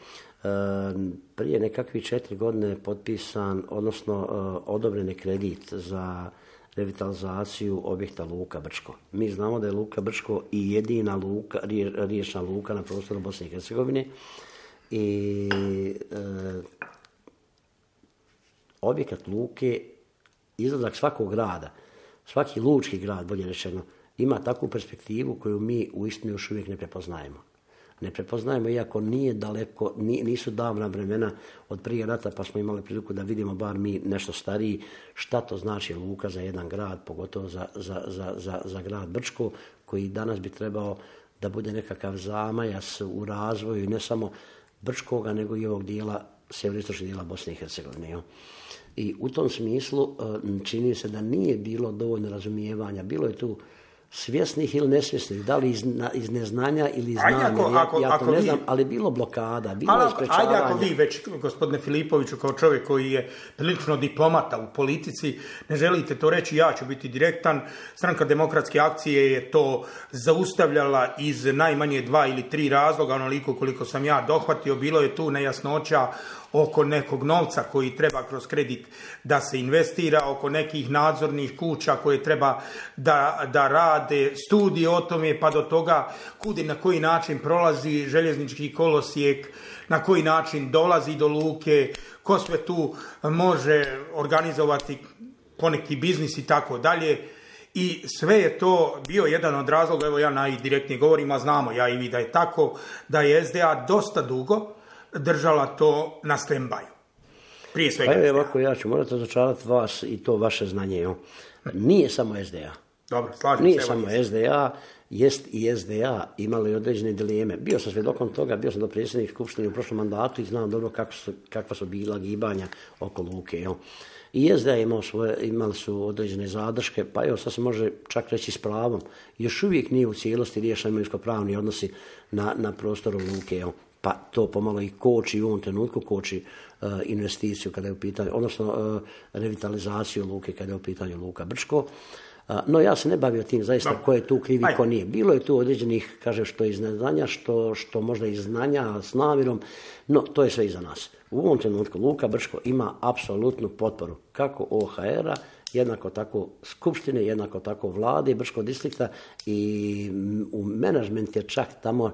prije nekakvih četiri godine je potpisan, odnosno e, odobren je kredit za revitalizaciju objekta Luka Brčko. Mi znamo da je Luka Brčko i jedina luka, riječna luka na prostoru Bosne i Hercegovine i e, objekat luke, izlazak svakog grada, svaki lučki grad, bolje rečeno, ima takvu perspektivu koju mi uistinu još uvijek ne prepoznajemo. Ne prepoznajemo, iako nije daleko, nisu davna vremena od prije rata, pa smo imali priliku da vidimo, bar mi nešto stariji, šta to znači luka za jedan grad, pogotovo za, za, za, za, za grad Brčko, koji danas bi trebao da bude nekakav zamajac u razvoju, ne samo Brčkoga, nego i ovog dijela, sjeveroistočnog dijela Bosne i Hercegovine. I u tom smislu čini se da nije bilo dovoljno razumijevanja. Bilo je tu svjesnih ili nesvjesnih, da li iz, iz neznanja ili iz znanja, ja, ja to ne vi, znam, ali bilo blokada, bilo ali, je sprečavanja. Ajde ako vi već, gospodine Filipoviću, kao čovjek koji je prilično diplomata u politici, ne želite to reći, ja ću biti direktan. Stranka demokratske akcije je to zaustavljala iz najmanje dva ili tri razloga, onoliko koliko sam ja dohvatio. Bilo je tu nejasnoća oko nekog novca koji treba kroz kredit da se investira, oko nekih nadzornih kuća koje treba da, da rade studije o tome, pa do toga kud i na koji način prolazi željeznički kolosijek, na koji način dolazi do luke, ko sve tu može organizovati poneki biznis i tako dalje. I sve je to bio jedan od razloga, evo ja najdirektnije govorim, a znamo ja i vi da je tako, da je S D A dosta dugo držala to na stand-by. Prije svega. Pa je ovako, ja ću morati razočarati vas i to vaše znanje. Jo. Nije samo S D A. Dobro, slažem Nije se. samo S D A, jest i S D A imali određene dileme. Bio sam svjedokom toga, bio sam do predsjednik skupštine u prošlom mandatu i znam dobro kako su, kakva su bila gibanja oko luke. Jo. I S D A imao svoje, imali su određene zadrške, pa evo sad se može čak reći s pravom. Još uvijek nije u cijelosti riješeni imovinsko-pravni odnosi na, na prostoru luke. Jo. Pa to pomalo i koči u ovom trenutku, koči uh, investiciju kada je u pitanju, odnosno uh, revitalizaciju luke kada je u pitanju Luka Brčko. Uh, no ja se ne bavio tim zaista no. Ko je tu krivi, ko nije. Bilo je tu određenih, kaže, što iz neznanja, što, što možda iz znanja s namjerom, no to je sve iza nas. U ovom trenutku Luka Brčko ima apsolutnu potporu, kako O H R-a, jednako tako skupštine, jednako tako vlade Brčkog distrikta i u menadžment je čak tamo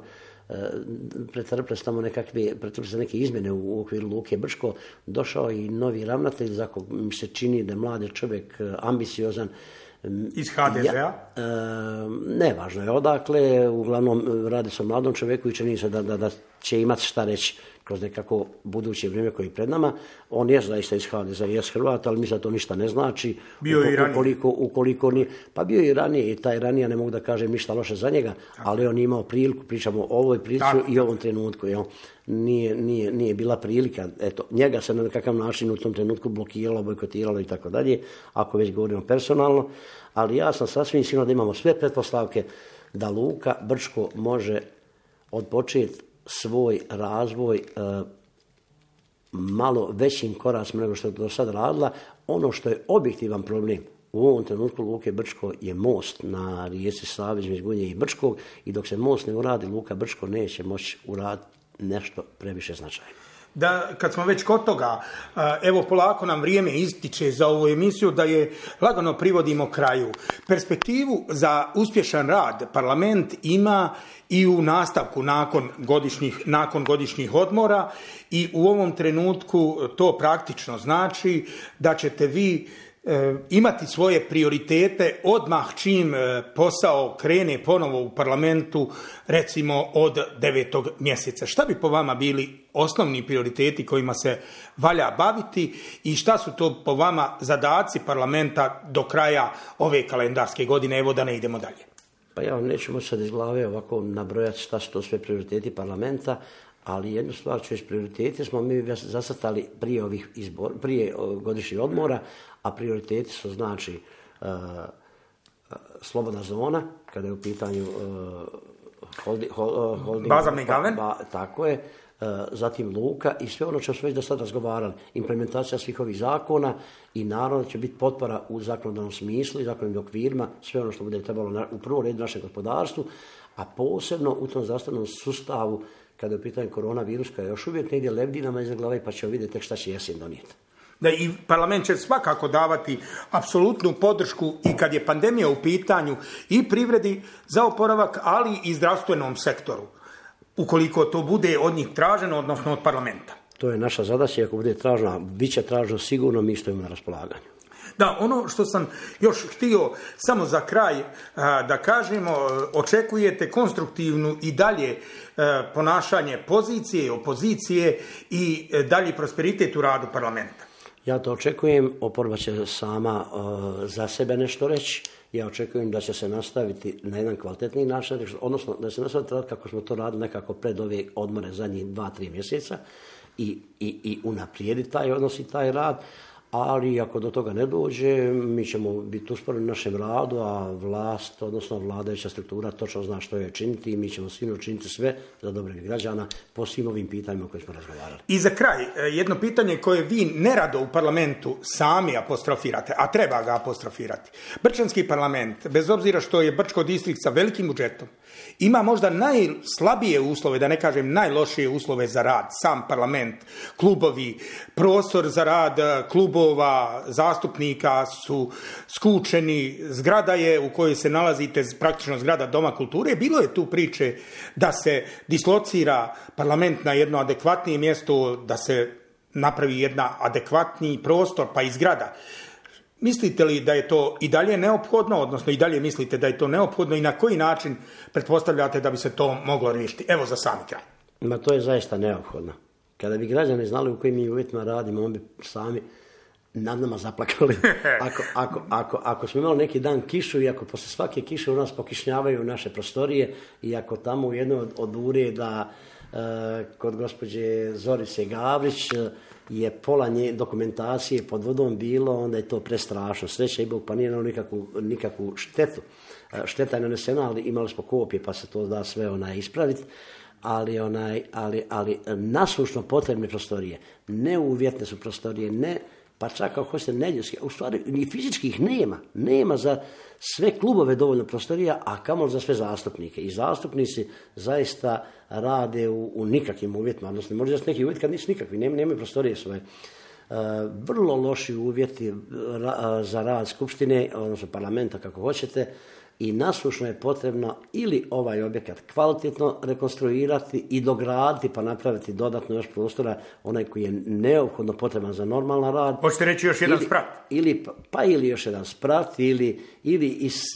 pretrpile se tamo nekakve, pretrpile se neke izmjene u okviru Luke Brčko, došao i novi ravnatelj, za kog mi se čini da je mladi čovjek, ambiciozan. Iz H D Z-a? Ja, e, nevažno je odakle, uglavnom radi se o mladom čovjeku i čini se da, da, da će imati šta reći kroz nekako buduće vrijeme koje je pred nama. On je zaista iz ha de zea, je Hrvat, ali mislim da to ništa ne znači. Bio je i ranije. Ukoliko, ukoliko nije, pa bio je i ranije i taj ranije ne mogu da kažem ništa loše za njega, ali on je imao priliku, pričamo o ovoj prilici i ovom trenutku. Jel? Nije, nije, nije bila prilika, eto, njega se na nekakav način u tom trenutku blokiralo, bojkotiralo i tako dalje, ako već govorimo personalno, ali ja sam sasvim sigurno da imamo sve pretpostavke da Luka Brčko može odpočeti svoj razvoj e, malo većim koracima nego što je do sad radila. Ono što je objektivan problem u ovom trenutku Luke Brčko je most na rijeci Savi između Gunje i Brčkog i dok se most ne uradi, Luka Brčko neće moći uraditi nešto previše značajno. Da, kad smo već kod toga, evo polako nam vrijeme ističe za ovu emisiju, da je lagano privodimo kraju. Perspektivu za uspješan rad parlament ima i u nastavku nakon godišnjih, nakon godišnjih odmora i u ovom trenutku to praktično znači da ćete vi imati svoje prioritete odmah čim posao krene ponovo u parlamentu, recimo od devetog mjeseca. Šta bi po vama bili osnovni prioriteti kojima se valja baviti i šta su to po vama zadaci parlamenta do kraja ove kalendarske godine? Evo da ne idemo dalje. Pa ja vam neću moći sad iz glave ovako nabrojati šta su to sve prioriteti parlamenta, ali jednu stvar ću iz prioritete smo mi zacrtali prije ovih izbor, prije godišnjih odmora, a prioriteti su znači uh, slobodna zona, kada je u pitanju uh, holdi, hol, holding, Bazarni gaven. Ba, tako je, uh, zatim luka i sve ono što smo već do sada razgovarali, implementacija svih ovih zakona i naravno će biti potpora u zakonodavnom smislu i zakonodavnim okvirima, sve ono što bude trebalo na, u prvom redu našem gospodarstvu, a posebno u tom zdravstvenom sustavu kada je u pitanju koronavirus, koja je još uvijek negdje lebdi nama iza glave, pa ćemo vidjeti tek šta će jesen donijeti. Da i parlament će svakako davati apsolutnu podršku i kad je pandemija u pitanju i privredi za oporavak, ali i zdravstvenom sektoru, ukoliko to bude od njih traženo, odnosno od parlamenta. To je naša zadaća, ako bude traženo, bit će traženo sigurno, mi stojimo na raspolaganju. Da, ono što sam još htio samo za kraj da kažemo, očekujete konstruktivnu i dalje ponašanje pozicije i opozicije i dalji prosperitet u radu parlamenta. Ja to očekujem, oporba će sama uh, za sebe nešto reći. Ja očekujem da će se nastaviti na jedan kvalitetniji način, odnosno da se nastaviti raditi kako smo to radili nekako pred ove odmore zadnjih dva, tri mjeseca i, i, i unaprijediti taj odnos i taj rad. Ali ako do toga ne dođe, mi ćemo biti usporeni u našem radu, a vlast, odnosno vladajuća struktura točno zna što je činiti i mi ćemo sigurno učiniti sve za dobrobit građana po svim ovim pitanjima o kojima smo razgovarali. I za kraj, jedno pitanje koje vi nerado u parlamentu sami apostrofirate, a treba ga apostrofirati. Brčanski parlament, bez obzira što je Brčko distrikt sa velikim budžetom, ima možda najslabije uslove, da ne kažem najlošije uslove za rad. Sam parlament, klubovi, prostor za rad klubova, zastupnika su skučeni, zgrada je u kojoj se nalazite, praktično zgrada Doma kulture. Bilo je tu priče da se dislocira parlament na jedno adekvatnije mjesto, da se napravi jedna adekvatniji prostor, pa i zgrada. Mislite li da je to i dalje neophodno, odnosno i dalje mislite da je to neophodno i na koji način pretpostavljate da bi se to moglo riješiti? Evo za sami kraj. Ma to je zaista neophodno. Kada bi građani znali u kojim mi uvjetima radimo, on bi sami nad nama zaplakali. Ako, ako, ako, ako smo imali neki dan kišu i ako posle svake kiše u nas pokišnjavaju naše prostorije i ako tamo u jednoj od, od ureda e, kod gospođe Zorice Gavrić je pola nje dokumentacije pod vodom bilo, onda je to prestrašno. Sreća i Bog, pa nije imalo nikakvu, nikakvu štetu. Šteta je nanesena, ali imali smo kopije pa se to da sve onaj ispraviti. Ali, onaj, ali, ali nasušno potrebne prostorije, neuvjetne su prostorije, ne, pa čak ako hoćete neljudske, u stvari ni fizičkih nema, nema za sve klubove dovoljno prostorija, a kamoli za sve zastupnike. I zastupnici zaista rade u, u nikakvim uvjetima, odnosno možda neki uvjeti kad nisu nikakvi, nema, nemaju prostorije svoje. Uh, vrlo loši uvjeti ra, za rad skupštine, odnosno parlamenta kako hoćete, i nasušno je potrebno ili ovaj objekat kvalitetno rekonstruirati i dograditi pa napraviti dodatno još prostora, onaj koji je neophodno potreban za normalan rad. Hoćete reći još jedan ili, sprat? Ili, pa ili još jedan sprat ili, ili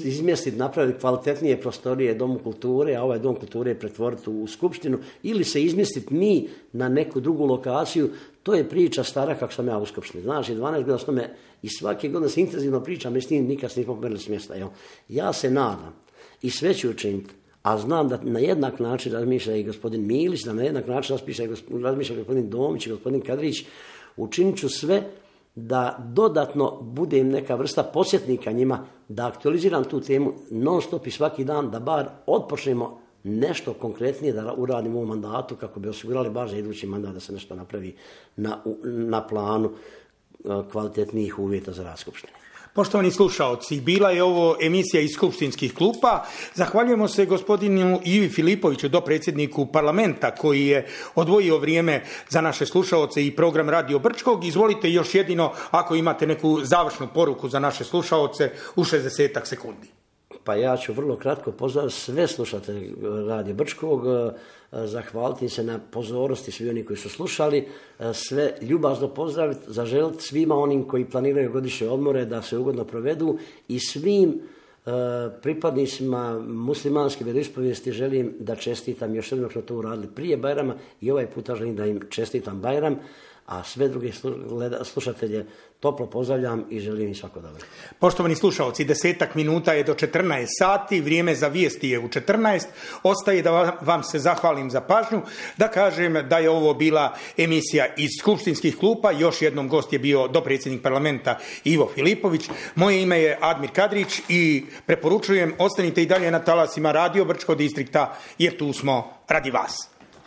izmjestiti, napraviti kvalitetnije prostorije Domu kulture, a ovaj Dom kulture pretvoriti u skupštinu, ili se izmjestiti mi na neku drugu lokaciju. To je priča stara kako sam ja u skupštini. Znači, dvanaest godina s tome i svake godine se intenzivno pričam i s tim nikad se nismo pomerili s mjesta. Jel? Ja se nadam i sve ću učiniti, a znam da na jednak način razmišlja i gospodin Milić, da na jednak način razmišlja i gospodin, razmišlja gospodin Domić i gospodin Kadrić. Učinit ću sve da dodatno budem neka vrsta podsjetnika njima, da aktualiziram tu temu non stop i svaki dan, da bar otpočnemo nešto konkretnije da uradimo u ovom mandatu kako bi osigurali baš za idući mandat da se nešto napravi na, na planu kvalitetnijih uvjeta za rad skupštine. Poštovani slušaoci, bila je ovo emisija iz skupštinskih klupa. Zahvaljujemo se gospodinu Ivi Filipoviću, dopredsjedniku parlamenta, koji je odvojio vrijeme za naše slušaoce i program Radio Brčkog. Izvolite još jedino ako imate neku završnu poruku za naše slušaoce u šezdesetak sekundi. Pa ja ću vrlo kratko pozvati sve slušatelje Radio Brčkog, zahvaliti se na pozornosti svi oni koji su slušali, sve ljubazno pozdraviti, zaželiti svima onim koji planiraju godišnje odmore da se ugodno provedu i svim pripadnicima muslimanske vjeroispovijesti želim da čestitam, još jednom što to uradili prije Bajrama i ovaj puta želim da im čestitam Bajram, a sve druge slušatelje toplo pozdravljam i želim im svako dobro. Poštovani slušalci, desetak minuta je do četrnaest sati, vrijeme za vijesti je u četrnaest. Ostaje da vam se zahvalim za pažnju, da kažem da je ovo bila emisija iz skupštinskih klupa. Još jednom gost je bio dopredsjednik parlamenta Ivo Filipović. Moje ime je Admir Kadrić i preporučujem ostanite i dalje na talasima Radio Brčko distrikta jer tu smo radi vas.